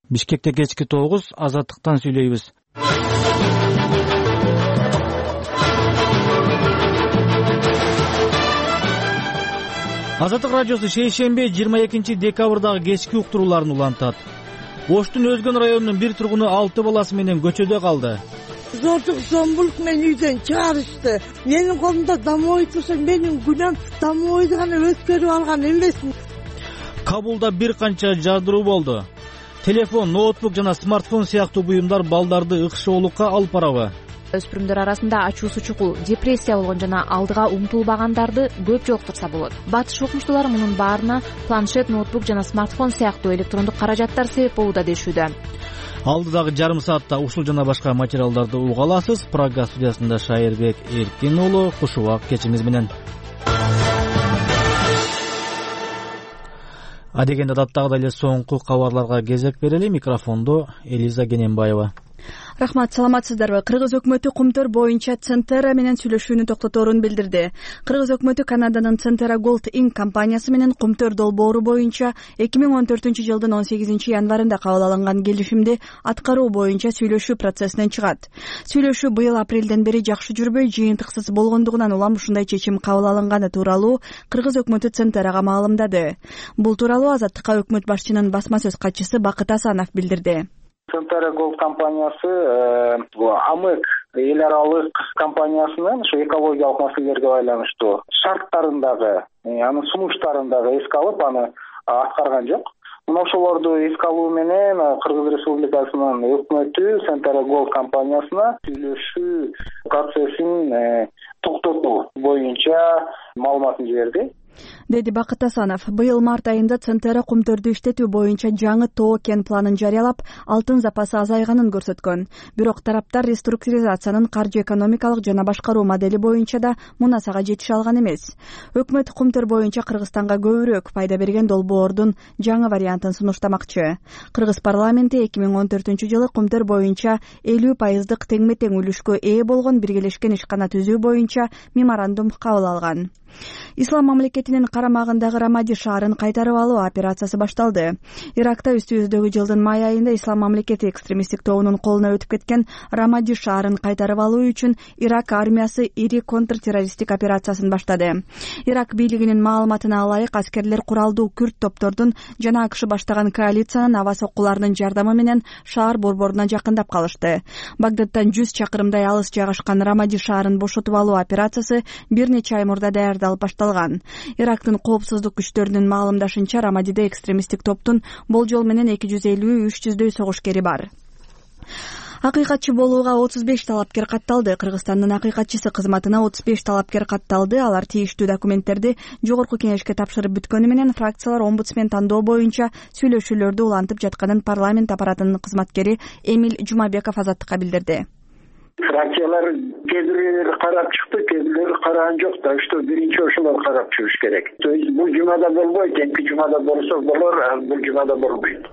Бишкекте кечки 9 Азаттыктан сүйлөйбүз. Азаттык радиосу шейшембе 22 декабрдагы кечки уктурууларын улантат. Оштун Өзгөн районунун бир тургуну 6 баласы менен көчөдө калды. Зордук зомбулук мени үйдөн чыгарышты. Менин колумда домой турса, менин күнөөм домойду гана өткөрүп алган эмесмин. Кабулда бир канча жардыруу болду. Телефон, ноутбук жана смартфон сыяктуу буюмдар балдарды ыкшоолукка алып барабы? Өспүрүмдөр арасында ачуусу чукул, депрессия болгон жана алдыга умтулбагандарды көп жолуктурса болот. Батыш окумуштуулар мунун баарына планшет, ноутбук жана смартфон сыяктуу электрондук каражаттар себеп болууда дешүүдө. Алдыдагы жарым саатта ушул жана башка материалдарды уга аласыз. Прага студиясында Шайырбек Эркин уулу, куш убак кечиңиз менен. Адегенде даттагыдай эле соңку кабарларга кезек берели. Микрофондо Элиза Кененбаева. Рахмат, саламатсыздарбы? Кыргыз өкмөтү Кумтөр боюнча Центера менен сүйлөшүүнү токтоторун билдирди. Кыргыз өкмөтү Канаданын Центера Gold Inc. компаниясы менен Кумтөр долбоору боюнча 2014-жылдын 18-январында кабыл алынган келишимди аткаруу боюнча сүйлөшүү процессинен чыгат. Сүйлөшүү быйыл апрелден бери жакшы жүрбөй, жыйынтыксыз болгондугунан улам ушундай чечим кабыл алынганы тууралуу Кыргыз өкмөтү Центерага маалымдады. Бул тууралуу Азаттыкка өкмөт башчынын басма сөз катчысы Бакыт Асанов билдирди. Центера Gold компаниясы АМЭК эл аралык компаниясынын ушу экологиялык маселелерге байланыштуу шарттарындагы, анын сунуштарындагы эске алып, аны аткарган жок. Мына ошолорду эске алуу менен Кыргыз Республикасынын өкмөтү Центера Gold компаниясына сүйлөшүү процессин токтотуу боюнча маалыматын жиберди, деди Бакыт Асанов. Быйыл март айында Центера Кумтөрдү иштетүү боюнча жаңы тоо кен планын жарыялап, алтын запасы азайганын көрсөткөн. Бирок тараптар реструктуризациянын каржы экономикалык жана башкаруу модели боюнча да мунасага жетише алган эмес. Өкмөт Кумтөр боюнча Кыргызстанга көбүрөөк пайда берген долбоордун жаңы вариантын сунуштамакчы. Кыргыз парламенти 2014-жылы Кумтөр боюнча 50% теңме-тең үлүшкө ээ болгон биргелешкен ишкана түзүү боюнча меморандум кабыл алган. Ислам мамлекетинин карамагындагы Рамади шаарын кайтарып алуу операциясы башталды. Иракта үстүбүздөгү жылдын май айында Ислам мамлекети экстремисттик тобунун колуна өтүп кеткен Рамади шаарын кайтарып алуу үчүн Ирак армиясы ири контртеррористтик операциясын баштады. Ирак бийлигинин маалыматына ылайык, аскерлер куралдуу күрд топтордун жана АКШ баштаган коалициянын аба соккуларынын жардамы менен шаар борборуна жакындап калышты. Багдадтан 100 чакырымдай алыс жайгашкан Рамади шаарын бошотуп алуу операциясы бир нече ай мурда даярдалып башталган. Ирактын коопсуздук күчтөрүнүн маалымдашынча, Рамадиде экстремисттик топтун болжол менен 250-300дөй согушкери бар. Акыйкатчы болууга 35 талапкер катталды. Кыргызстандын акыйкатчысы кызматына 35 талапкер катталды. Алар тийиштүү документтерди жогорку кеңешке тапшырып бүткөнү менен фракциялар омбудсмен тандоо боюнча сүйлөшүүлөрдү улантып жатканын парламент аппаратынын кызматкери Эмиль Жумабеков Азаттыкка билдирди. Фракциялар кээ бирлери карап чыкты, кээ бирлери караган жок да, что биринчи ошолор карап чыгыш керек. То есть бул жумада болбойт, эмки жумада болсо болор, а бул жумада болбойт.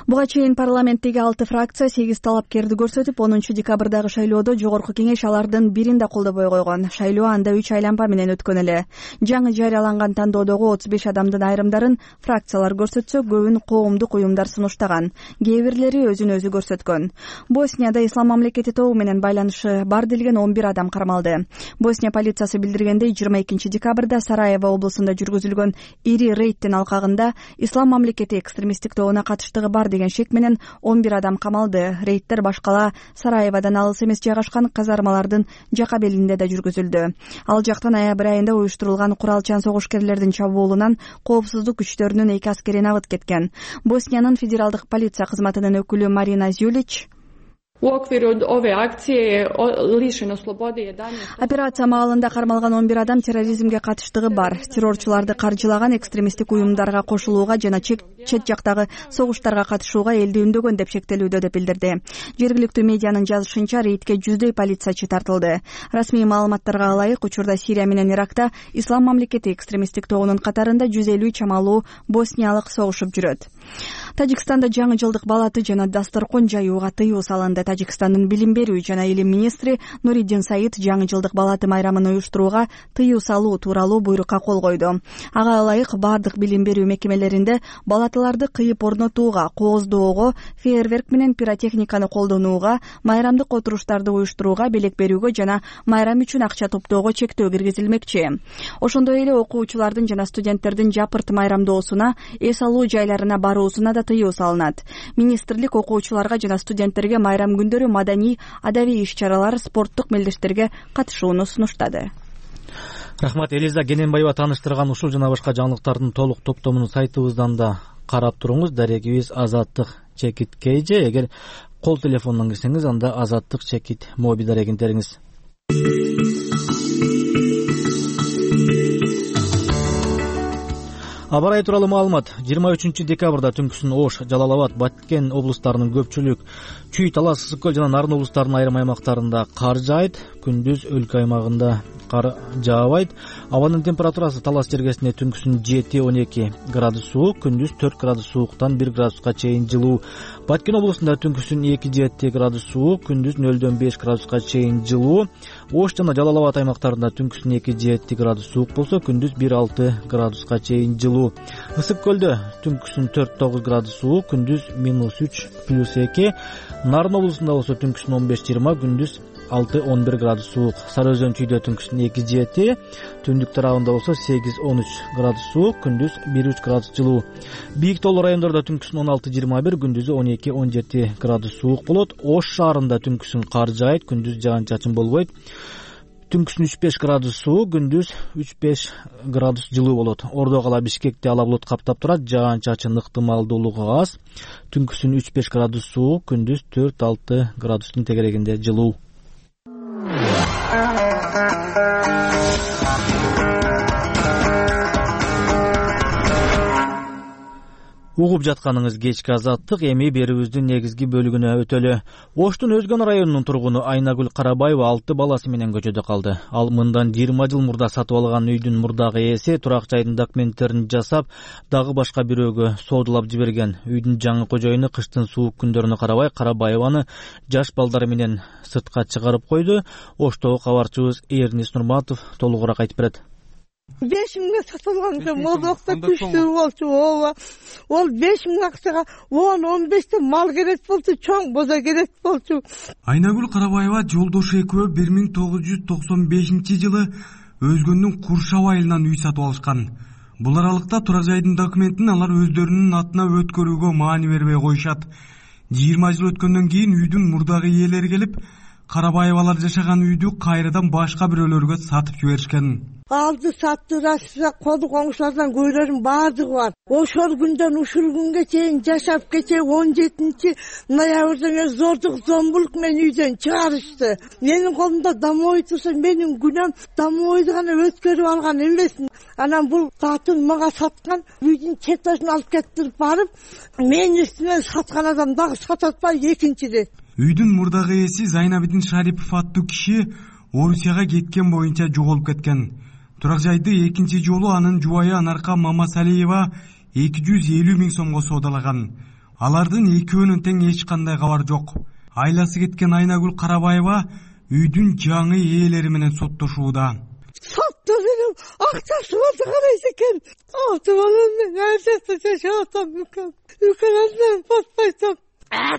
Буга чейин парламенттеги 6 фракция 8 талапкерди көрсөтүп, 10 декабрдагы шайлоодо жогорку кеңеш алардын бирин да колдобой койгон. Шайлоо анда 3 айланма менен өткөн эле. Жаңы жарыяланган тандоодогу 35 адамдын айрымдарын фракциялар көрсөтсө, көбүн коомдук уюмдар сунуштаган. Кээ бирлери өзүн өзү көрсөткөн. Боснияда Ислам мамлекети тобу менен байланышы бар делген 11 адам кармалды. Босния полициясы билдиргендей, 22 декабрда Сараево облусунда жүргүзүлгөн ири рейдтин алкагында Ислам мамлекети экстремисттик тобуна катыштыгы бар деген шек менен 11 адам камалды. Рейдтер башкала Сараеводан алыс эмес жайгашкан казармалардын жака белинде да жүргүзүлдү. Ал жактан ноябрь айында уюштурулган куралчан согушкерлердин чабуулунан коопсуздук күчтөрүнүн 2 аскерин абыт кеткен. Босниянын федералдык полиция кызматынын өкүлү Марина Зюлич U okviru ove akcije je lišeno slobode 11. Операция маалында кармалган 11 адам терроризмге катыштыгы бар. Террорчуларды каржылаган экстремисттик уюмдарга кошулууга жана чет жактагы согуштарга катышууга элди үндөгөн деп шектелүүдө деп билдирди. Жергиликтүү медианын жазышынча, рейдке 100дөй полициячы тартылды. Расмий маалыматтарга ылайык, учурда Сирия менен Иракта Ислам мамлекети экстремисттик тобунун катарында 150 чамалуу босниялык согушуп жүрөт. Тажикстанда жаңы жылдык балаты жана дасторкон жаюуга тыюу салынды. Тажикстандын билим берүү жана илим министри Нуриддин Саид жаңы жылдык балаты майрамын уюштурууга тыюу салуу тууралуу буйрукка кол койду. Ага ылайык, бардык билим берүү мекемелеринде балаты плиталарды кыйып орнотууга, кооздоого, фейерверк менен пиротехниканы колдонууга, майрамдык отуруштарды уюштурууга, белек берүүгө жана майрам үчүн акча топтоого чектөө киргизилмекчи. Ошондой эле окуучулардын жана студенттердин жапырт майрамдоосуна, эс алуу жайларына баруусуна да тыюу салынат. Министрлик окуучуларга жана студенттерге майрам күндөрү маданий, адабий иш-чаралар, спорттук мелдештерге катышууну сунуштады. Рахмат, Элиза Кененбаева тааныштырган ушул жана башка жаңылыктардын толук топтомун сайтыбыздан да карап туруңуз. Дарегибиз Азаттык Чекит KJ. Эгер кол телефондон кирсеңиз, анда Азаттык Чекит моби дарегин териңиз. Аба ырайы тууралуу маалымат. 23 декабрда түнкүсүн Ош, Жалал Абад, Баткен облустарынын көпчүлүк, Чүй, Талас, Ысык көл жана Нарын облустарынын айрым аймактарында кар жаайт. Күндүз өлкө аймагында кар жаабайт. Абанын температурасы Талас жергесинде түнкүсүн 7-12 градус суук, күндүз 4 градус сууктан 1 градуска чейин жылуу. Баткен облусунда түнкүсүн 2-7 градус суук, күндүз 0-5 градуска чейин жылуу. Ош жана Жалал Абад аймактарында түнкүсүн 2-7 градус суук болсо, күндүз 1-6 градуска чейин жылуу. Ысык көлдө түнкүсүн 4-9 градус суук, күндүз -3+2. Нарын облусунда болсо түнкүсүн 15-20, күндүз 6-11 градус суук. Сары Өзөн Чүйдө түнкүсүн 2-7, түндүк тарабында болсо 8-13 градус суук, күндүз 1-3 градус жылуу. Бийик тоолуу райондордо түнкүсүн 16-21, күндүзү 12-17 градус суук болот. Ош шаарында түнкүсүн кар жаайт, күндүз жаан-чачын болбойт. Түнкүсүн 3-5 градус суук, күндүз 3-5 градус жылуу болот. Ордо кала Бишкекти ала булут каптап турат, жаан-чачын ыктымалдуулугу аз. Түнкүсүн 3-5 градус суук, күндүз 4-6 градустун тегерегинде жылуу. Угуп жатканыңыз кечки Азаттык. Эми берүүбүздүн негизги бөлүгүнө өтөлү. Оштун Өзгөн районунун тургуну Айнагүл Карабаева 6 баласы менен көчөдө калды. Ал мындан 20 жыл мурда сатып алган үйдүн мурдагы ээси турак жайдын документтерин жасап, дагы башка бирөөгө соодулап жиберген. Үйдүн жаңы кожоюну кыштын суук күндөрүнө карабай Карабаеваны жаш балдары менен сыртка чыгарып койду. Оштогу кабарчыбыз Эрнис Нурматов толугураак айтып берет. 5 миңге сатылган экен, модокта күчтүү болчу, ооба. Ол 5 миң акчага 10-15 мал керек болчу, чоң боза керек болчу. Айнагүл Карабаева жолдошу экөө 1995 жылы Өзгөндүн Куршап айылынан үй сатып алышкан. Бул аралыкта турак жайдын документин алар өздөрүнүн атына өткөрүүгө маани бербей коюшат. 20 жыл өткөндөн кийин үйдүн мурдагы ээлери келип, Карабаевалар жашаган үйдү кайрадан башка бирөөлөргө сатып жиберишкен. Алды сатты, Россия коду коңшулардан көйлөрүн баардыгы бар. Ошол күндөн ушул күнгө чейин жашап кече 17 ноябрда зордук зомбулук менен үйдөн чыгарышты. Менин колумда домой турса, менин күнөм домойду гана өткөрүп алган эмесмин. Анан бул татын мага саткан, үйдүн чертежин алып кетирип барып, менин үстүмөн саткан адам дагы сататпай экинчиде. Үйдүн мурдагы ээси Зайнабидин Шарипов аттуу киши Орусияга кеткен боюнча жоголуп кеткен. Турак жайды экинчи жолу анын жубайы Анарка Мамасалиева 250 миң сомго соодалаган. Алардын экөөнүн тең эч кандай кабар жок. Айласы кеткен Айнагүл Карабаева үйдүн жаңы ээлери менен соттошууда. Сотто менен акчасы болду карайт экен. Балам мен ажакта жашап атам экен. Үкөлөндөн батпайт.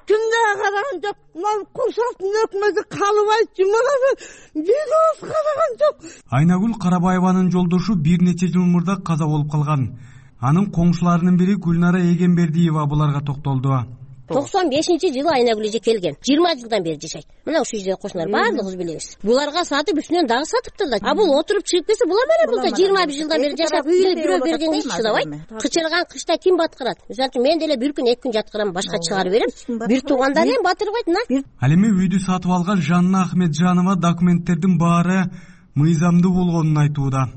Кимге караган жок. Мына курсактын өкмөтү калыбайт жумалады. Бир оз караган жок. Айнагүл Карабаеванын жолдошу бир нече жыл мурда каза болуп калган. Анын коңшуларынын бири Гүлнара Эгембердиева буларга токтолду. 95-жылы Айнагүл эже келген. 20 жылдан бери жашайт. Мына ушул жерде кошуналар баардыгыбыз билебиз. Буларга сатып үстүнөн дагы сатыптыр да. Бул отуруп чыгып келсе, була менен бул да 21 жылдан бери жашап, бирөө бергенге эч чыдабайт. Кычырган кышта ким баткырат? Мисалы үчүн мен деле бир күн, 2 күн жаткырам, башка чыгарып берем. Бир туугандар эми батырбайт мына. Ал эми үйдү сатып алган Жанна Ахметжанова документтердин баары мыйзамдуу болгонун айтууда.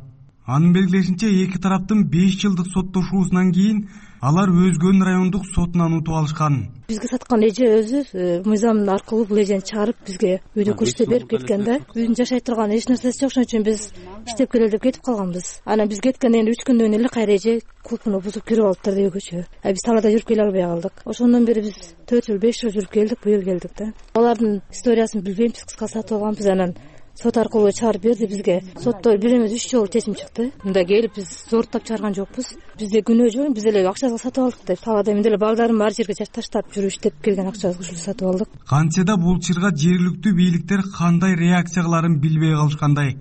Анын белгилешинче, эки тараптын 5 жылдык соттошуусунан кийин алар Өзгөн райондук сотунан утуп алышкан. Бизге саткан эже өзү мыйзам аркылуу бул эжени чыгарып бизге үйдү көрсөтө берип кеткен да. Үйдүн жашай турган эч нерсеси жок, ошон үчүн биз иштеп келели деп кетип калганбыз. Анан биз кеткенден кийин 3 күндөн эле кайра эже кулпуну бузуп кирип алыптыр үйгөчү. Биз талаада жүрүп келе албай калдык. Ошондон бери биз 4 жыл 5 жыл жүрүп келдик, быйыл келдик да. Алардын историясын билбейм, биз кыска сатып алганбыз. Анан сот аркылуу чыгарып берди бизге. Сотто бир эмес 3 жолу чечим чыкты. Мында келип биз зордуктап чыгарган жокпуз. Бизде күнөө жок, биз эле акчага сатып алдык деп. Талаада мен деле балдарым ар жерге таштап жүрүш деп келген акчабызга ушул сатып алдык. Кантсе да бул чырга жергиликтүү бийликтер кандай реакция кыларын билбей калышкандай.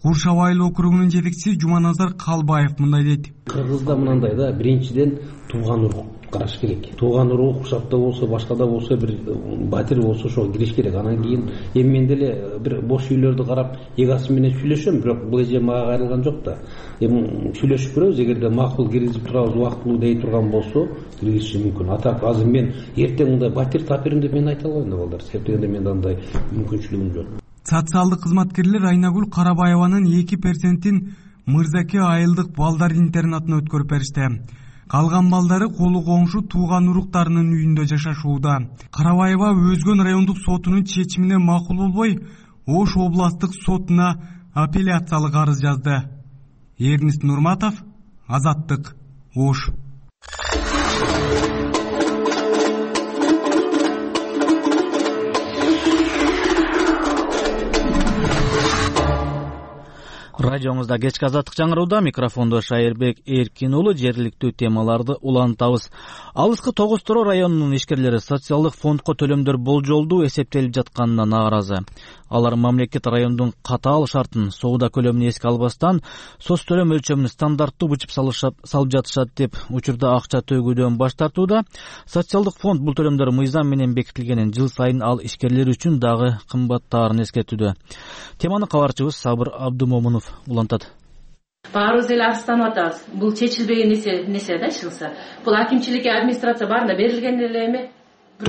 Куршап айыл округунун жетекчиси Жуманазар Калбаев мындай дейт. Кыргызда мынандай да, биринчиден тууган урук караш керек. Тууган урук куршапта болсо, башкада болсо, бир батир болсо ошого кириш керек. Анан кийин эми мен деле бир бош үйлөрдү карап, эгасы менен сүйлөшөм, бирок бул эже мага кайрылган жок да. Эми сүйлөшүп көрөбүз, эгерде макул киргизип турабыз, убактылуу дей турган болсо, киргизиши мүмкүн. Атак азыр мен эртең мындай батир тап берем деп мен айта албайм да балдар. Себеби дегенде менде андай мүмкүнчүлүгүм жок. Социалдык кызматкерлер Айнагүл Карабаеванын 2%-ин Мырзаке айылдык балдар интернатына өткөрүп беришти. Калган балдары колу коңшу тууган уруктарынын үйүндө жашашууда. Карабаева Өзгөн райондук сотунун чечимине макул болбой, Ош областтык сотуна апелляциялык арыз жазды. Эрнист Нурматов, Азаттык, Ош. Радиоңузда кечки азаттык жаңырууда, микрофондо Шайырбек Эркин уулу. Жергиликтүү темаларды улантабыз. Алыскы Тогуз Торо районунун ишкерлери социалдык фондко төлөмдөр болжолдуу эсептелип жатканына нааразы. Алар мамлекет райондун катаал шартын, соода көлөмүн эске албастан, соц төлөм өлчөмүн стандарттуу бычып салып жатышат деп учурда акча төгүүдөн баш тартууда. Социалдык фонд бул төлөмдөр мыйзам менен бекитилгенин, жыл сайын ал ишкерлер үчүн дагы кымбаттаарын эскертүүдө. Теманы кабарчыбыз Сабыр Абдумомунов улантат. Баарыбыз эле арызданып атабыз. Бул чечилбеген нерсе да чыкса. Бул акимчиликке, администрация баарына берилген эле эми.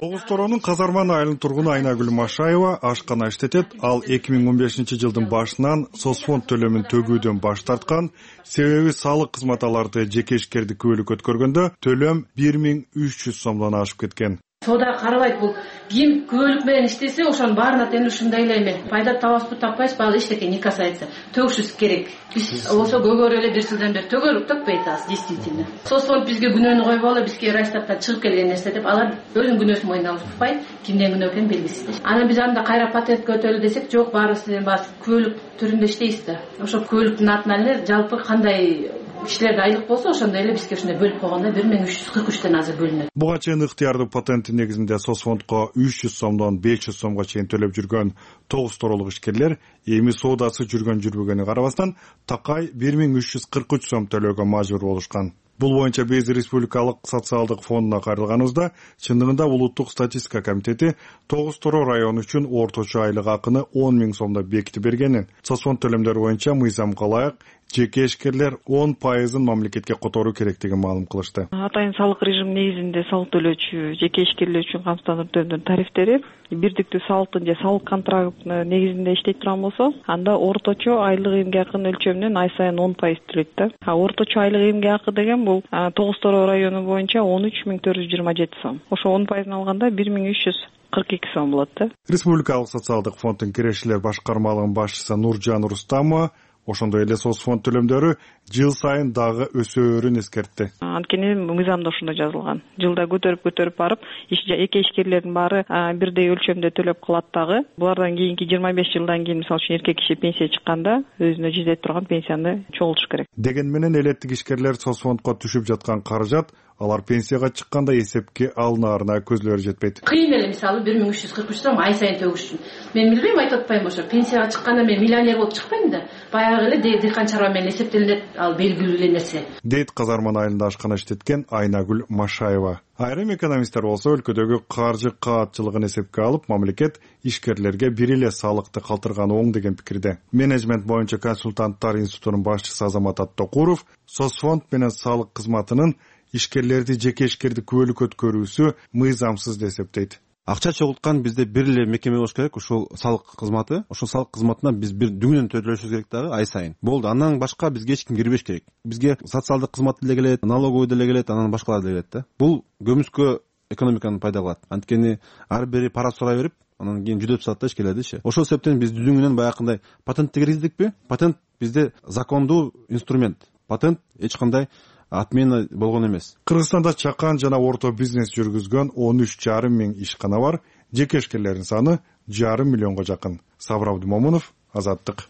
Тогуз Торонун Казарман айылынын тургуну Айнагүл Машаева ашкана иштетет. Ал 2015-жылдын башынан соцфонд төлөмүн төгүүдөн баш тарткан. Себеби салык кызматаларды жеке ишкерди күбөлүк өткөргөндө төлөм 1300 сомдон ашып кеткен. Соода карабайт, бул ким күбөлүк менен иштесе, ошонун баарына тең ушундай эле эми. Пайда табасызбы, таппайсызбы, ал эчтеке не касается. Төгүшүбүз керек. Биз болсо көгөрү эле бир жылдан бери төгөрүк, төкпөй атабыз, действительно. Соцфонд бизге күнөөнү койбогула, бизге райштаттан чыгып келген нерсе деп, алар өзүнүн күнөөсүн мойнуна алышпайт, кимден күнөө экени белгисиз. Анан биз анда кайра патентке өтөлү десек, жок, баарыбыз күбөлүк түрүндө иштейбиз да. Ошо күбөлүктүн атынан эле жалпы кандай кишилерде айлык болсо, ошондой эле бизге ушундай бөлүп койгондо 1343тен азыр бөлүнөт. Буга чейин ыктыярдуу патенти негизинде соцфондко 300 сомдон 500 сомго чейин төлөп жүргөн Тогуз Торолук ишкерлер эми соодасы жүргөнү карабастан такай 1343 сом төлөөгө мажбур болушкан. Бул боюнча биз Республикалык социалдык фондуна кайрылганыбызда, чындыгында Улуттук статистика комитети Тогуз Торо району үчүн орточо айлык акыны 10 000 сомдо бекитип бергенин, соцфонд төлөмдөрү боюнча мыйзамга ылайык жеке ишкерлер 10% мамлекетке которуу керектигин маалым кылышты. Атайын салык режим негизинде салык төлөөчү жеке ишкерлер үчүн камсыздандыруу тарифтери бирдиктүү салыктын же салык контракты негизинде иштей турган болсо, анда орточо айлык эмгек акынын өлчөмүнөн ай сайын 10% төлөйт да. Орточо айлык эмгек акы деген бул Тогуз Торо району боюнча 13427 сом. Ошо 10% алганда 1342 сом болот да. Республикалык социалдык фонддун кирешилер башкармалыгынын башчысы Нуржан Рустамова ошондой эле соцфонд төлөмдөрү жыл сайын дагы өсөөрүн эскертти. Анткени мыйзамда ошондой жазылган. Жылда көтөрүп барып, эки ишкерлердин баары бирдей өлчөмдө төлөп калат дагы. Булардан кийинки 25 жылдан кийин, мисалы үчүн эркек киши пенсия чыкканда өзүнө жетет турган пенсияны чогултуш керек. Деген менен элеттик ишкерлер соцфондко түшүп жаткан каражат алар пенсияга чыкканда эсепке алынаарына көзлөрү жетпейт. Кыйын эле, мисалы 1343 сом ай сайын төгүш үчүн. Мен билбейм, айтып атпайм, ошо пенсияга чыкканда мен миллионер болуп чыкпайм да. Баягы эле дыйкан чарба менен эсептелинет, ал белгилүү эле нерсе. Дейт Казарман айылында ашкана иштеткен Айнагүл Машаева. Айрым экономисттер болсо өлкөдөгү каржы каатчылыгын эсепке алып, мамлекет ишкерлерге бир эле салыкты калтырганы оң деген пикирде. Менеджмент боюнча консультанттар институтунун башчысы Азамат Аттокуров соцфонд менен салык кызматынын ишкерлерди жеке ишкерди күбөлүк өткөрүүсү мыйзамсыз деп эсептейт. Акча чогулткан бизде бир эле мекеме болуш керек, ушул салык кызматы. Ошол салык кызматына биз бир дүңнөн төлөшүбүз керек дагы ай сайын. Болду, андан башка бизге эч ким кирбеш керек. Бизге социалдык кызмат деле келет, налоговый деле келет, анан башкалар деле келет да. Бул көмүскө экономиканы пайда кылат. Анткени ар бири пара сурай берип, анан кийин жүдөп салат да ишкерлердичи. Ошол себептен биз дүңнөн баягындай патентти киргиздикпи? Патент бизде закондуу инструмент. Патент эч кандай отмена болгон эмес. Кыргызстанда чакан жана орто бизнес жүргүзгөн 13,5 миң ишкана бар. Жеке ишкерлердин саны 1,5 миллионго жакын. Сабыр Абдумомунов, Азаттык.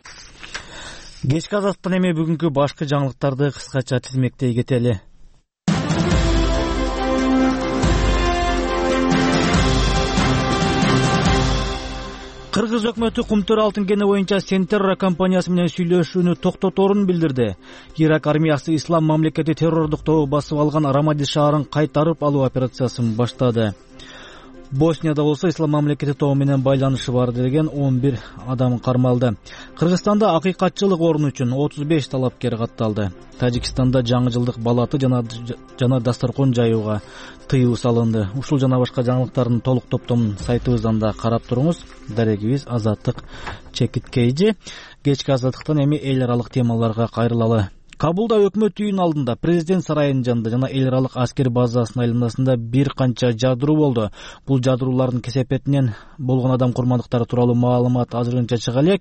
Кечки Азаттан эми бүгүнкү башкы жаңылыктарды кыскача тизмектей кетели. Кыргыз өкмөтү Кумтөр алтын кени боюнча Сентерра компаниясы менен сүйлөшүүнү токтоторун билдирди. Ирак армиясы Ислам мамлекети террордук тобу басып алган Рамади шаарын кайтарып алуу операциясын баштады. Боснияда болсо Ислам мамлекети тобу менен байланышы бар деген 11 адам кармалды. Кыргызстанда акыйкатчылык орун үчүн 35 талапкер катталды. Тажикстанда жаңы жылдык балаты жана дасторкон жаюуга тыюу салынды. Ушул жана башка жаңылыктардын толук топтомун сайтыбыздан да карап туруңуз. Дарегибиз Азаттык Чекиткейжи. Кечки Азаттыктан эми эл аралык темаларга кайрылалы. Кабулда өкмөт үйүнүн алдында, президент сарайынын жанында жана эл аралык аскер базасынын айланасында бир канча жадыруу болду. Бул жадыруулардын кесепетинен болгон адам курмандыктары тууралуу маалымат азырынча чыга элек.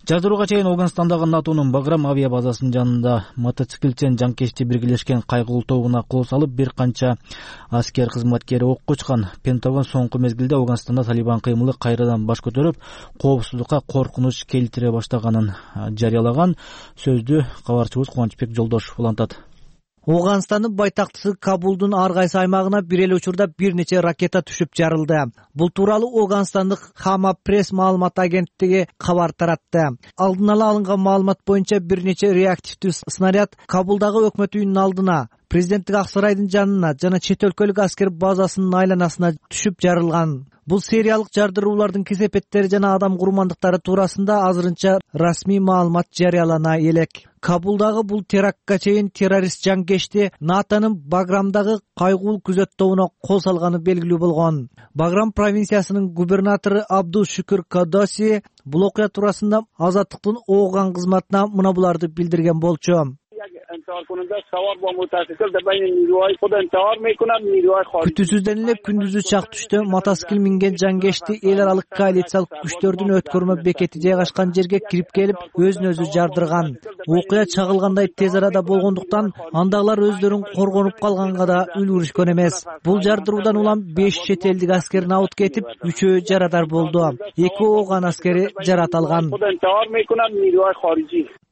Жадырууга чейин Афганстандагы НАТОнун Баграм авиа базасынын жанында мотоциклчен жанкечти биргелешкен кайгылуу тобуна кол салып бир канча аскер кызматкери окко учкан. Пентагон соңку мезгилде Афганстанда Талибан кыймылы кайрадан баш көтөрүп, коопсуздукка коркунуч келтире баштаганын жарыялаган. Сөздү кабарчыбыз Кубанычбек Жолдошов улантат. Афганстандын байтактысы Кабулдун ар кайсы аймагына бир эле учурда бир нече ракета түшүп жарылды. Бул тууралуу Афганстандык Хама пресс маалымат агенттиги кабар таратты. Алдын ала алынган маалымат боюнча бир нече реактивдүү снаряд Кабулдагы өкмөт үйүнүнүн алдына, президенттик ак сарайдын жанына жана чет өлкөлүк аскер базасынын айланасына түшүп жарылган. Бул сериялык жардыруулардын кесепеттери жана адам курмандыктары туурасында азырынча расмий маалымат жарыялана элек. Кабулдагы бул терактка чейин террорист жанкечти НАТОнун Баграмдагы кайгылуу күзөт тобуна кол салганы белгилүү болгон. Баграм провинциясынын губернатору Абдул Шукур Кадоси бул окуя туурасында Азаттыктын Ооган кызматына мына буларды билдирген болчу. Күтүүсүздөн эле күндүзү чак түштө мотоцикл минген жанкечти эл аралык коалициялык күчтөрдүн өткөрмө бекети жайгашкан жерге кирип келип, өзүн өзү жардырган. Окуя чагылгандай тез арада болгондуктан андагылар өздөрүн коргонуп калганга да үлгүрүшкөн эмес. Бул жардыруудан улам 5 чет элдик аскер набыт кетип, 3-өө жарадар болду. 2 Ооган аскери жарат алган,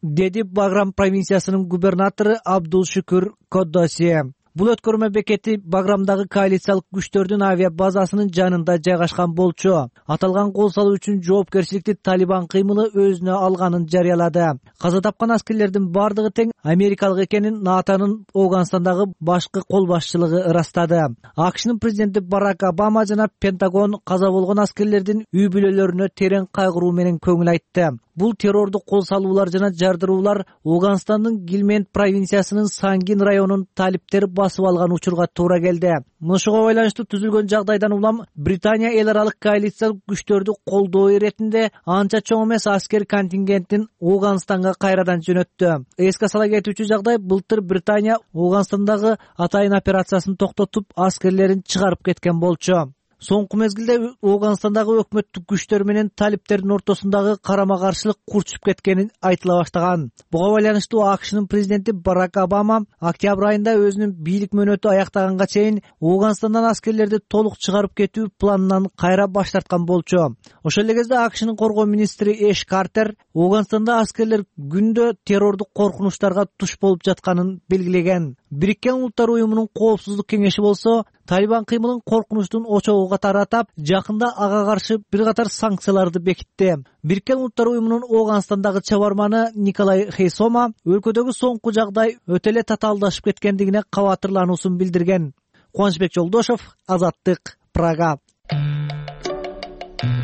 деди Баграм провинциясынын губернатору Абдул Шукур Кодоси. Бул өткөрмө бекети Баграмдагы коалициялык күчтөрдүн авиа базасынын жанында жайгашкан болчу. Аталган кол салуу үчүн жоопкерчиликти Талибан кыймылы өзүнө алганын жарыялады. Каза тапкан аскерлердин бардыгы тең америкалык экенин НАТОнун Афганстандагы башкы кол башчылыгы ырастады. АКШнын президенти Барак Обама жана Пентагон каза болгон аскерлердин үй бүлөлөрүнө терең кайгыруу менен көңүл айтты. Бул террордук кол салуулар жана жардыруулар Афганстандын Гилмент провинциясынын Сангин районунун талиптери басып алган учурга туура келди. Мынушуга байланыштуу түзүлгөн жагдайдан улам Британия эл аралык коалициялык күчтөрдү колдоо иретинде анча чоң эмес аскер контингентин Афганстанга кайрадан жөнөттү. Эске сала кетүүчү жагдай, былтыр Британия Афганстандагы атайын операциясын токтотуп, аскерлерин чыгарып кеткен болчу. Соңку мезгилде Афганстандагы өкмөттүк күчтөр менен талиптердин ортосундагы карама-каршылык курчуп кеткени айтыла баштаган. Буга байланыштуу АКШнын президенти Барак Обама октябрь айында өзүнүн бийлик мөөнөтү аяктаганга чейин Афганстандан аскерлерди толук чыгарып кетүү планынан кайра баш тарткан болчу. Ошол эле кезде АКШнын коргоо министри Эш Картер Афганстанда аскерлер күндө террордук коркунучтарга туш болуп жатканын белгилеген. Бириккен Улуттар уюмунун коопсуздук кеңеши болсо Талибан кыймылын коркунучтун очогуга таратып, жакында ага каршы бир катар санкцияларды бекитти. Бириккен Улуттар уюмунун Афганстандагы чабарманы Николай Хейсома өлкөдөгү соңку жагдай өтө эле татаалдашып кеткендигине кабатырлануусун билдирген. Кубанычбек Жолдошов, Азаттык, Прага.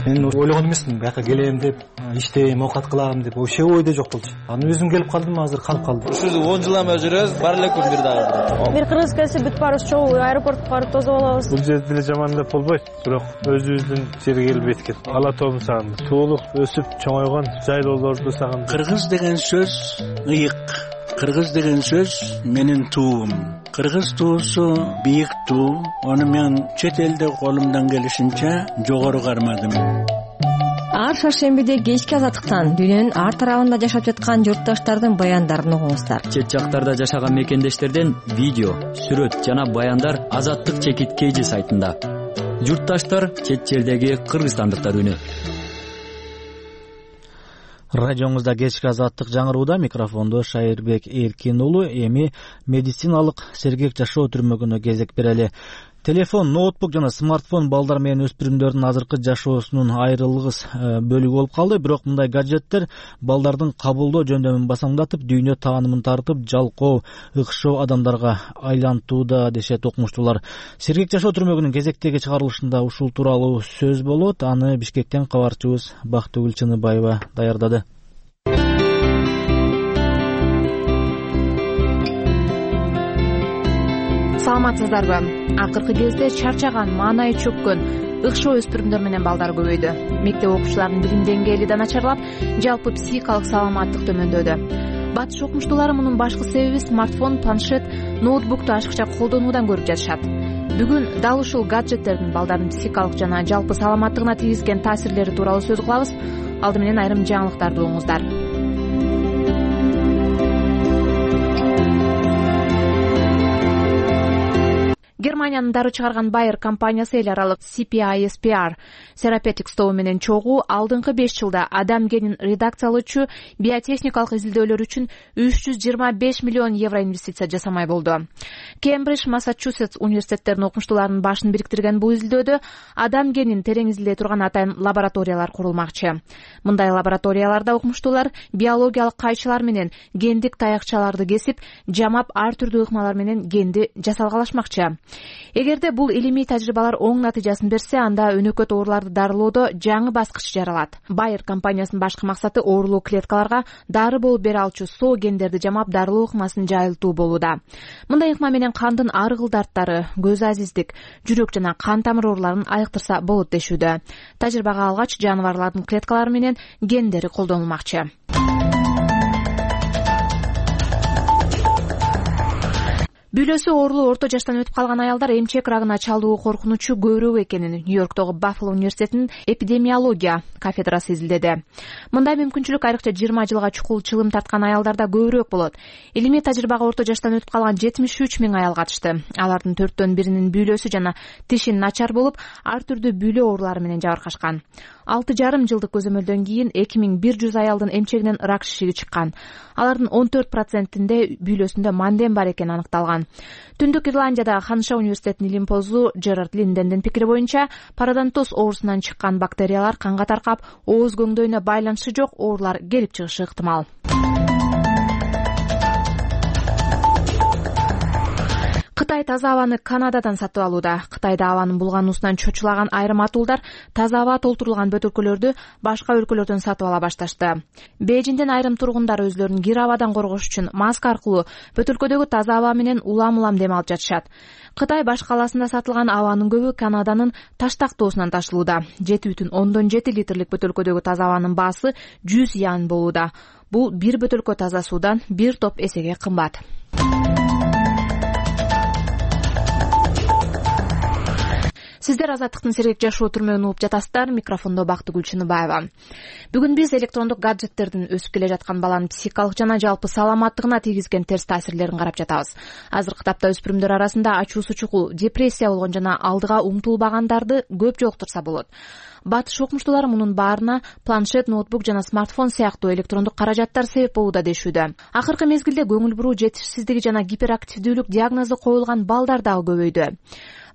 Мен ойлогон эмесмин, бияка келем деп, иштейм, оокат кылам деп, вообще ойдо жок болчу. Анан өзүм келип калдым, азыр калып калдым. Ушул 10 жылдан бери жүрөбүз, бар эле күн бир дагы. Бир кыргыз келсе бүт барыбыз чогуу аэропортко барып тосуп алабыз. Бул жерде деле жаман деп болбойт, бирок өзүбүздүн жерге келип эткен. Ала тобун сагындым. Туулук өсүп чоңойгон жайлоолорду сагындым. Кыргыз деген сөз ыйык. Кыргыз деген сөз менин туум. Кыргыз туусу бийик туу. Аны мен чет элде колумдан келишинче жогору кармадым. Ар шаршембиде кечки Азаттыктан дүйнөнүн ар тарабында жашап жаткан журтташтардын баяндарын угуңуздар. Чет жактарда жашаган мекендештерден видео, сүрөт жана баяндар Азаттык Чекиткейжи сайтында. Журтташтар чет жердеги кыргызстандыктар үнү. Радионузда кечки азаттык жаңырууда, микрофондо Шайырбек Эркин уулу. Эми медициналык сергек жашоо түрмөгүнө кезек берели. Телефон, ноутбук жана смартфон балдар менен өспүрүмдөрдүн азыркы жашоосунун айрылгыс бөлүгү болуп калды. Бирок мындай гаджеттер балдардын кабылдоо жөндөмүн басаңдатып, дүйнө таанымын тартып, жалкоо, ыкшоо адамдарга айлантууда, дешет окумуштуулар. Сергек жашоо түрмөгүнүн кезектеги чыгарылышында ушул тууралуу сөз болот. Аны Бишкектен кабарчыбыз Бактыгүл Чыныбаева даярдады. Саламатсыздарбы? Акыркы кезде чарчаган, маанайы чөккөн, ыкшоо өспүрүмдөр менен балдар көбөйдү. Мектеп окуучуларынын билим деңгээли да начарлап, жалпы психикалык саламаттык төмөндөдү. Батыш окумуштуулары мунун башкы себеби смартфон, планшет, ноутбукту ашыкча колдонуудан көрүп жатышат. Бүгүн дал ушул гаджеттердин балдардын психикалык жана жалпы саламаттыгына тийгизген таасирлери тууралуу сөз кылабыз. Алды менен айрым жаңылыктарды угуңуздар. Германиянын дару чыгарган Bayer компаниясы эл аралык CPISPR Therapeutics тобу менен чогуу алдыңкы 5 жылда адам генин редакциялоочу биотехникалык изилдөөлөр үчүн 325 миллион евро инвестиция жасамай болду. Кембридж, Массачусетс университеттеринин окумуштууларынын башын бириктирген бул изилдөөдө адам генин терең изилдей турган атайын лабораториялар курулмакчы. Мындай лабораторияларда окумуштуулар биологиялык кайчылар менен гендик таякчаларды кесип, жамап ар түрдүү ыкмалар менен генди жасалгалашмакчы. Эгерде бул илимий тажрыйбалар оң натыйжасын берсе, анда өнөкөт ооруларды дарылоодо жаңы баскыч жаралат. Bayer компаниясынын башкы максаты оорулуу клеткаларга дары болуп бере алчу соо гендерди жамап дарылоо ыкмасын жайылтуу болууда. Мындай ыкма менен кандын аргыл дарттары, көз азиздик, жүрөк жана кан тамыр ооруларын айыктырса болот дешүүдө. Тажрыйбага алгач жаныбарлардын клеткалары менен гендери колдонулмакчы. Бүлөсү оорулуу орто жаштан өтүп калган аялдар эмчек рагына чалдыгуу коркунучу көбүрөөк экенин Нью-Йорктогу Баффало университетинин эпидемиология кафедрасы изилдеди. Мындай мүмкүнчүлүк айрыкча 20 жылга чукул чылым тарткан аялдарда көбүрөөк болот. Илимий тажрыйбага орто жаштан өтүп калган 73 миң аял катышты. Алардын 4/1 бүлөсү жана тиши начар болуп, ар түрдүү бүлө оорулары менен жабыркашкан. 6,5 жылдык көзөмөлдөн кийин 2100 аялдын эмчегинен рак шишиги чыккан. Алардын 14%-inde бүлөсүндө манден бар экени аныкталган. Түндүк Ирландиядагы Ханыша университетинин илимпозу Джерард Линдендин пикири боюнча, пародонтоз оорусунан чыккан бактериялар канга таркап, ооз көңдөйүнө байланышы жок оорулар келип чыгышы ыктымал. Кытай таза абаны Канададан сатып алууда. Кытайда абанын булгануусунан чочулаган айрым атуулдар таза аба толтурулган бөтөлкөлөрдү башка өлкөлөрдөн сатып ала башташты. Бейжиңден айрым тургундар өзлөрүн кир абадан коргош үчүн маска аркылуу бөтөлкөдөгү таза аба менен улам дем алып жатышат. Кытай баш калаасында сатылган абанын көбү Канаданын Таштактоосунан ташылууда. 7,7 литрлик бөтөлкөдөгү таза абанын баасы 100 ян болууда. Бул бир бөтөлкө таза суудан бир топ эсеге кымбат. Сиздер Азаттыктын сергек жашоо түрмөгүн угуп жатасыздар. Микрофондо Бактыгүл Чыныбаева. Бүгүн биз электрондук гаджеттердин өсүп келе жаткан баланын психикалык жана жалпы саламаттыгына тийгизген терс таасирлерин карап жатабыз. Азыркы тапта өспүрүмдөр арасында ачуусу чукул, депрессия болгон жана алдыга умтулбагандарды көп жолуктурса болот. Батыш окумуштуулары мунун баарына планшет, ноутбук жана смартфон сыяктуу электрондук каражаттар себеп болууда дешүүдө. Акыркы мезгилде көңүл буруу жетишсиздиги жана гиперактивдүүлүк диагнозу коюлган балдар дагы көбөйдү.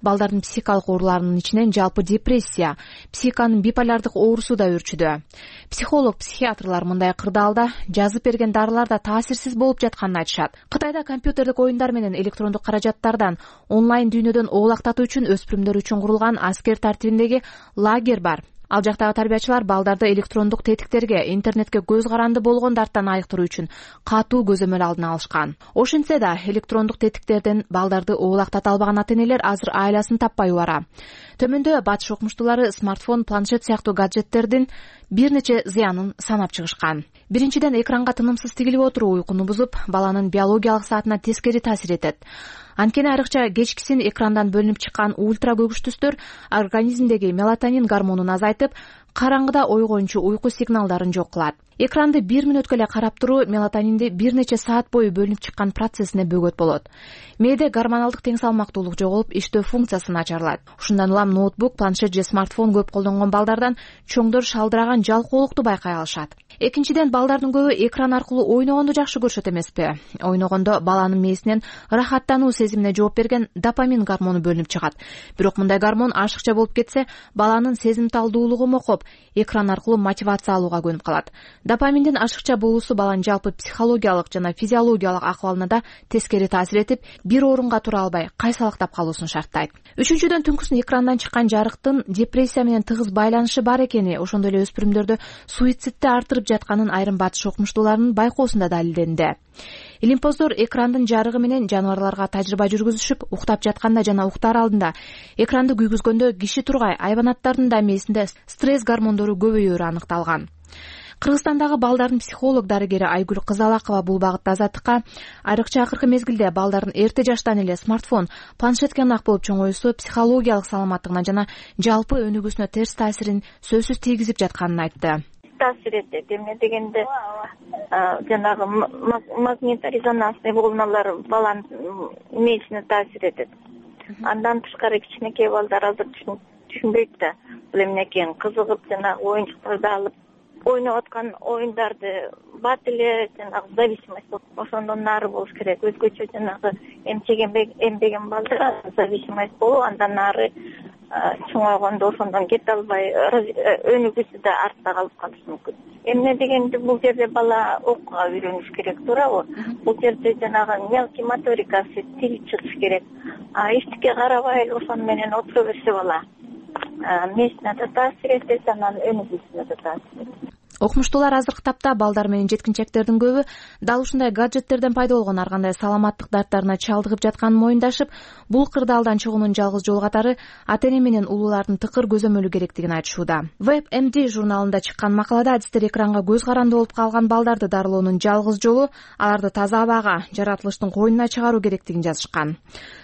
Балдардын психикалык ооруларынын ичинен жалпы депрессия, психиканын биполярдык оорусу да өрчүдө. Психолог, психиатрлар мындай кырдаалда жазып берген дарылар да таасирсиз болуп жатканын айтышат. Кытайда компьютердик оюндар менен электрондук каражаттардан онлайн дүйнөдөн оолактатуу үчүн өспүрүмдөр үчүн курулган аскер тартибиндеги лагерь бар. Ал жактагы тарбиячылар балдарды электрондук тетиктерге, интернетке көз каранды болгон дарттан айыктыруу үчүн катуу көзөмөл алдын алышкан. Ошентсе да электрондук тетиктерден балдарды оолактата албаган ата-энелер азыр айласын таппай убара. Төмөндө батыш окумуштуулары смартфон, планшет сыяктуу гаджеттердин бир нече зыянын санап чыгышкан. Биринчиден, экранга тынымсыз тигилип отуруу уйкуну бузуп, баланын биологиялык саатына тескери таасир этет. Анткени айрыкча кечкисин экрандан бөлүнүп чыккан ультра көгүш түстөр организмдеги мелатонин гормонун азайтып, караңгыда ойгончу уйку сигналдарын жок кылат. Экранды 1 мүнөткө эле карап туруу мелатонинди бир нече саат бою бөлүнүп чыккан процессине бөгөт болот. Мээде гормоналдык тең салмактуулук жоголуп, иштөө функциясы начарлайт. Ушундан улам ноутбук, планшет же смартфон көп колдонгон балдардан чоңдор шалдыраган жалкоолукту байкай алышат. Экинчиден, балдардын көбү экран аркылуу ойногонду жакшы көрүшөт эмеспи? Ойногондо баланын мээсинен ырахаттануу сезимине жооп берген допамин гормону бөлүнүп чыгат. Бирок мындай гормон ашыкча болуп кетсе, баланын сезимталдуулугу мокоп, экран аркылуу мотивация алууга көнүп калат. Допаминдин ашыкча болуусу баланын жалпы психологиялык жана физиологиялык акыбалына да тескери таасир этип, бир орунга тура албай, кайсалактап калуусун шарттайт. Үчүнчүдөн, түнкүсүн экрандан чыккан жарыктын депрессия менен тыгыз байланышы бар экени, ошондой эле өспүрүмдөрдө суицидти артырып жатканын айрым батыш окумуштууларынын байкоосунда далилденди. Илимпоздор экрандын жарыгы менен жаныбарларга тажрыйба жүргүзүшүп, уктап жатканда жана уктаар алдында экранды күйгүзгөндө киши тургай айбанаттардын да мээсинде стресс гормондору көбөйөөрү аныкталган. Кыргызстандагы балдардын психолог дарыгери Айгүл Кызалакова бул багытта Азаттыкка айрыкча акыркы мезгилде балдардын эрте жаштан эле смартфон, планшетке ынак болуп чоңоюусу психологиялык саламаттыгына жана жалпы өнүгүүсүнө терс таасирин сөзсүз тийгизип жатканын айтты. Таасир этет. Эмне дегенде жанагы магнитно-резонансный волналар баланын мээсине таасир этет. Андан тышкары кичинекей балдар азыр түшүнбөйт да бул эмне экенин, кызыгып жанагы оюнчуктарды алып ойноп аткан оюндарды бат эле жанагы зависимость болуп, ошондон нары болуш керек. Өзгөчө жанагы эмбеген балдар зависимость болуп, андан нары чоңойгондо ошондон кете албай, өнүгүүсү да артта калып калышы мүмкүн. Эмне дегенде бул жерде бала окууга үйрөнүш керек, туурабы? Бул жерде жанагы мелкий моторикасы тили чыгыш керек. Эчтеке карабай эле ошону менен отура берсе бала мээсине да таасир этет, анан өнүгүүсүнө да таасир этет. Окумуштуулар азыркы тапта балдар менен жеткинчектердин көбү дал ушундай гаджеттерден пайда болгон ар кандай саламаттык дарттарына чалдыгып жатканын моюндашып, бул кырдаалдан чыгуунун жалгыз жолу катары ата-эне менен улуулардын тыкыр көзөмөлү керектигин айтышууда. WebMD журналында чыккан макалада адистер экранга көз каранды болуп калган балдарды дарылоонун жалгыз жолу аларды таза абага, жаратылыштын койнуна чыгаруу керектигин жазышкан.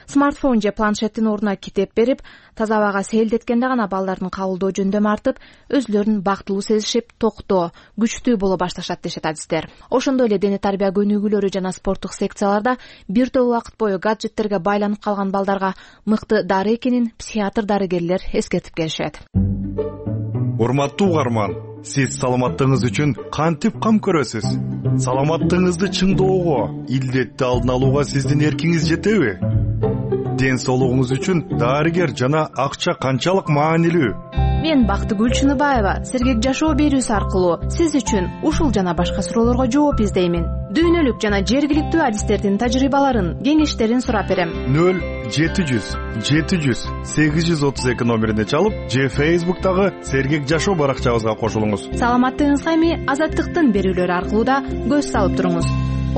Смартфон же планшеттин ордуна китеп берип, таза абага сейилдеткенде гана балдардын кабылдоо жөндөмү артып, өзүлөрүн бактылуу сезишип, токтоо, күчтүү боло башташат дешет адистер. Ошондой эле дене тарбия көнүгүүлөрү жана спорттук секцияларда бир топ убакыт бою гаджеттерге байланып калган балдарга мыкты дары экенин психиатр дарыгерлер эскертип келишет. Урматтуу угарман, сиз саламаттыгыңыз үчүн кантип кам көрөсүз? Саламаттыгыңызды чыңдоого, илдетти алдын алууга сиздин эркиңиз жетеби? Ден соолугуңуз үчүн дарыгер жана акча канчалык маанилүү? Мен Бактыгүл Чыныбаева сергек жашоо берүүсү аркылуу сиз үчүн ушул жана башка суроолорго жооп издеймин. Дүйнөлүк жана жергиликтүү адистердин тажрыйбаларын, кеңештерин сурап берем. 0-700-832 номерине чалып, же Facebook'тагы сергек жашоо баракчабызга кошулуңуз. Саламаттыгыңызга эми Азаттыктын берүүлөрү аркылуу да көз салып туруңуз.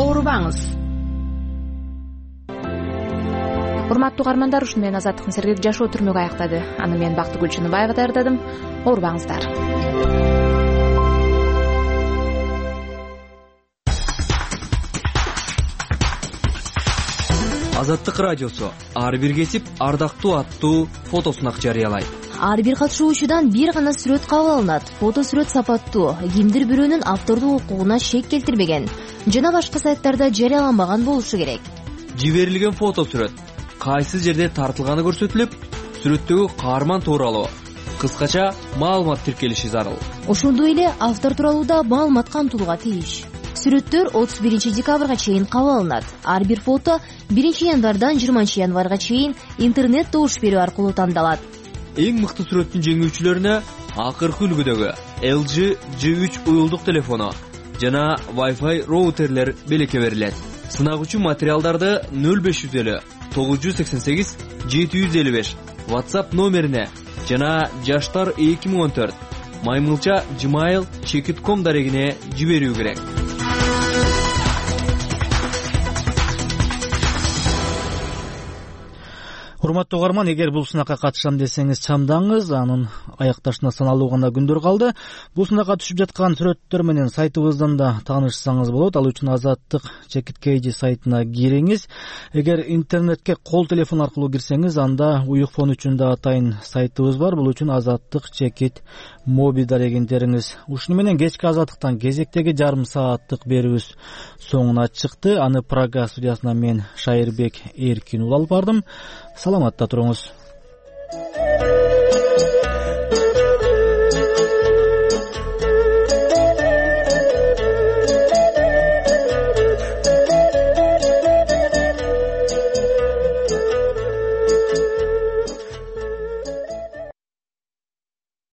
Оорубаңыз. Урматтуу угармандар, ушуну менен Азаттыктын сергек жашоо түрмөгү аяктады. Аны мен Бактыгүл Чыныбаева даярдадым. Оорубаңыздар. Азаттык радиосу ар бир кесип ардактуу аттуу фотосунак жарыялайт. Ар бир катышуучудан бир гана сүрөт кабыл алынат. Фото сүрөт сапаттуу, кимдир бирөөнүн автордук укугуна шек келтирбеген жана башка сайттарда жарыяланбаган болушу керек. Жиберилген фото сүрөт кайсы жерде тартылганы көрсөтүлүп, сүрөттөгү каарман тууралуу кыскача маалымат тиркелиши зарыл. Ошондой эле автор тууралуу да маалымат камтылууга тийиш. Сүрөттөр 31 декабрга чейин кабыл алынат. Ар бир фото 1 январдан 20 январга чейин интернет добуш берүү аркылуу тандалат. Эң мыкты сүрөттүн жеңүүчүлөрүнө акыркы үлгүдөгү LG G3 уюлдук телефону жана Wi-Fi роутерлер белекке берилет. Сынак үчүн материалдарды 050988 755 WhatsApp номерине жана жаштар 2014 maymilcha@gmail.com дарегине жиберүү керек. Урматтуу угарман, эгер бул сынакка катышам десеңиз чамдаңыз, анын аякташына саналуу гана күндөр калды. Бул сынакка түшүп жаткан сүрөттөр менен сайтыбыздан да таанышсаңыз болот. Ал үчүн Азаттык Чекит сайтына кириңиз. Эгер интернетке кол телефон аркылуу кирсеңиз, анда уюк фон үчүн да атайын сайтыбыз бар. Бул үчүн Азаттык Чекит моби дарегиңтериңиз. Ушуну менен кечки Азаттыктан кезектеги жарым сааттык берүүбүз соңуна чыкты. Аны Прага студиясынан мен Шайырбек Эркин алып бардым. Саламатта туруңуз.